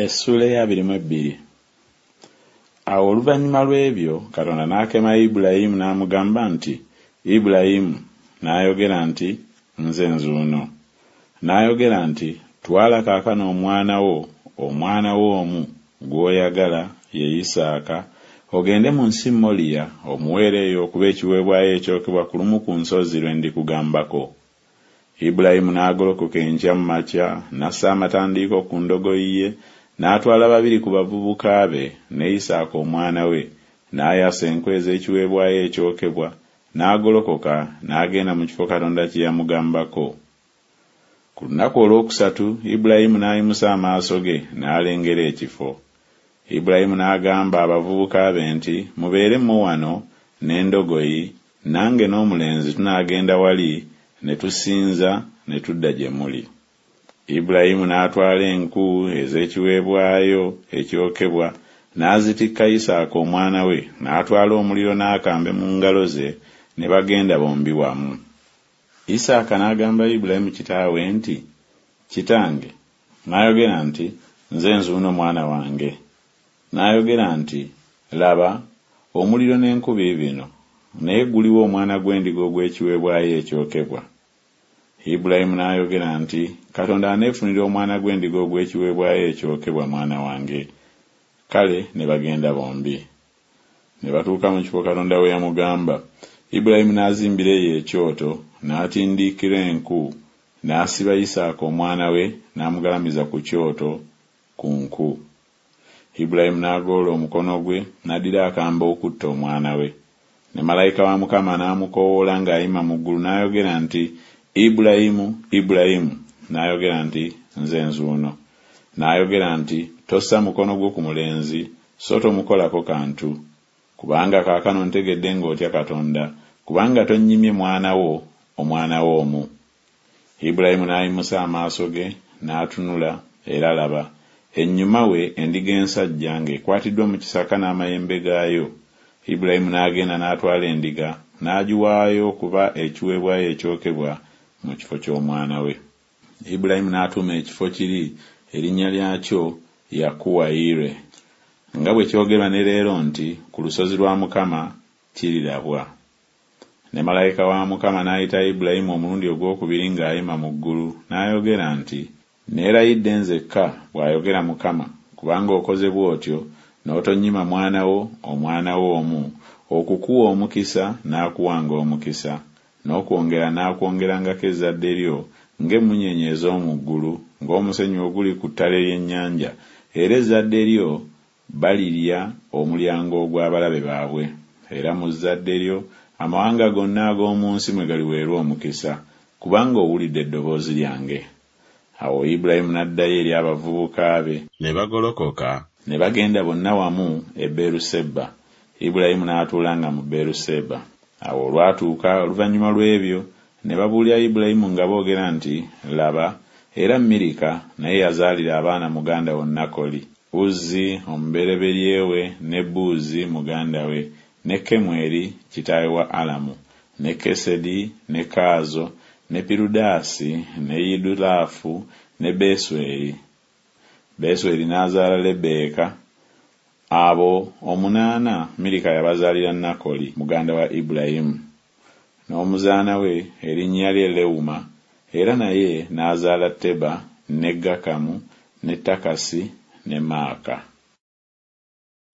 Essuula ey'abiri mu ebbiri. Awo oluvannyuma lw'ebyo Katonda n'akema Ibulayimu n'amugamba nti, Ibulayimu, n'ayogera nti, Nze nzuuno. N'ayogera nti, Twala kaakano omwana wo, omwana wo omu, gw'oyagala, ye Isaaka, ogende mu nsi Moliya, omuweere eyo okuba ekiweebwayo ekyokebwa ku lumu ku nsozi lwe ndikugambako. Ibulayimu n'agolokoka enkya mu makya, n'assa amatandiiko ku ndogoyi ye, n'atwala babiri ku bavubuka be, ne Isaaka omwana we, n'ayasa enku ez'ekiweebwayo ekyokebwa, n'agolokoka n'agenda mu kifo Katonda kye yamugambako. Ku lunaku olwokusatu Ibulayimu n'ayimusa amaaso ge, n'alengera ekifo. Ibulayimu n'agamba abavubuka be nti, Mubeere mmwe wano n'endogoyi, nange n'omulenzi tunaagenda wali ne tusinza, ne tudda gye muli. Ibulayimu n'atwala enku ez'ekiweebwayo ekyokebwa, n'azitikka Isaaka omwana we, n'atwala omuliro n'akambe mu ngalo ze, ne bagenda bombi wamu. Isaaka n'agamba Ibulayimu kitaawe nti, Kitange. N'ayogera nti, Nze nzuuno mwana wange. N'ayogera nti, Laba, omuliro n'enku biibino, naye guliwa omwana gw'endiga ogw'ekiweebwayo ekyokebwa? Ibulayimu n'ayogera nti, Katonda aneefunira omwana gw'endiga ogw'ekiweebwayo ekyokebwa, mwana wange. Kale ne bagenda bombi. Ne batuuka mu kifo Katonda we yamugamba. Ibulayimu n'azimbira eyo ekyoto, n'atindiikira enku, n'asiba Isaaka omwana we, n'amugalamiza ku kyoto ku nku. Ibulayimu n'agolola omukono gwe, n'addira akambe okutta omwana we. Ne malayika wa Mukama n'amukoowoola ng'ayima mu ggulu n'ayogera nti, Ibulayimu, Ibulayimu! N'ayogera nti, Nze nzuuno. N'ayogera nti, Tossa mukono gwo ku mulenzi, so tomukolako kantu. Kubanga kaakano ntegedde ng'otya Katonda, kubanga tonnyimye mwana wo, omwana wo omu. Ibulayimu n'ayimusa amaaso ge, n'atunula, era laba, ennyuma we endiga ensajja ng'ekwatiddwa mu kisaka n'amayembe gaayo. Ibulayimu n'agenda n'atwala endiga, n'agiwaayo okuba ekiweebwayo ekyokebwa mu kifo ky'omwana we. Ibulayimu n'atuuma ekifo kiri erinnya lyakyo Yakuwa-yireh, nga bwe kyogerwa ne leero nti Ku lusozi lwa Mukama kirirabwa. Ne malayika wa Mukama n'ayita Ibulayimu omulundi ogw'okubiri ng'ayima mu ggulu, n'ayogera nti Neerayidde nzekka, bw'ayogera Mukama, kubanga okoze bw'otyo, n'otonnyima mwana wo, omwana wo omu, okukuwa omukisa naakuwanga omukisa, n'okwongera naakwongerangako ezzadde lyo ng'emmunyeenye ez'omu ggulu, ng'omusenyu oguli ku ttale ly'ennyanja, era ezzadde lyo balirya omulyango ogw'abalabe baabwe, era mu zzadde lyo amawanga gonna ag'omu nsi mwe galiweerwa omukisa, kubanga owulidde eddoboozi lyange. Awo Ibulayimu n'addayo eri abavubuka be. Ne bagolokoka ne bagenda bonna wamu e Beeruseba, Ibulayimu n'atuulanga mu Beeruseba. Awo olwatuuka oluvannyuma lw'ebyo ne babuulira Ibulayimu nga boogera nti Laba, era Mirika naye yazaalira abaana muganda wo Nakoli, Uzzi omubereberye we ne Buuzi muganda we, ne Kemweri kitaawe wa Alamu, ne Kesedi, ne Kaazo, ne Pirudaasi, ne Yidulaafu, ne Besweri. Besweri n'azaala Lebbeeka. Abo omunaana Mirika yabazaalira Nakoli muganda wa Ibulayimu. N'omuzaana we erinnya lye Lewuma era naye n'azaala Teba ne Gakamu ne Takasi ne Maaka.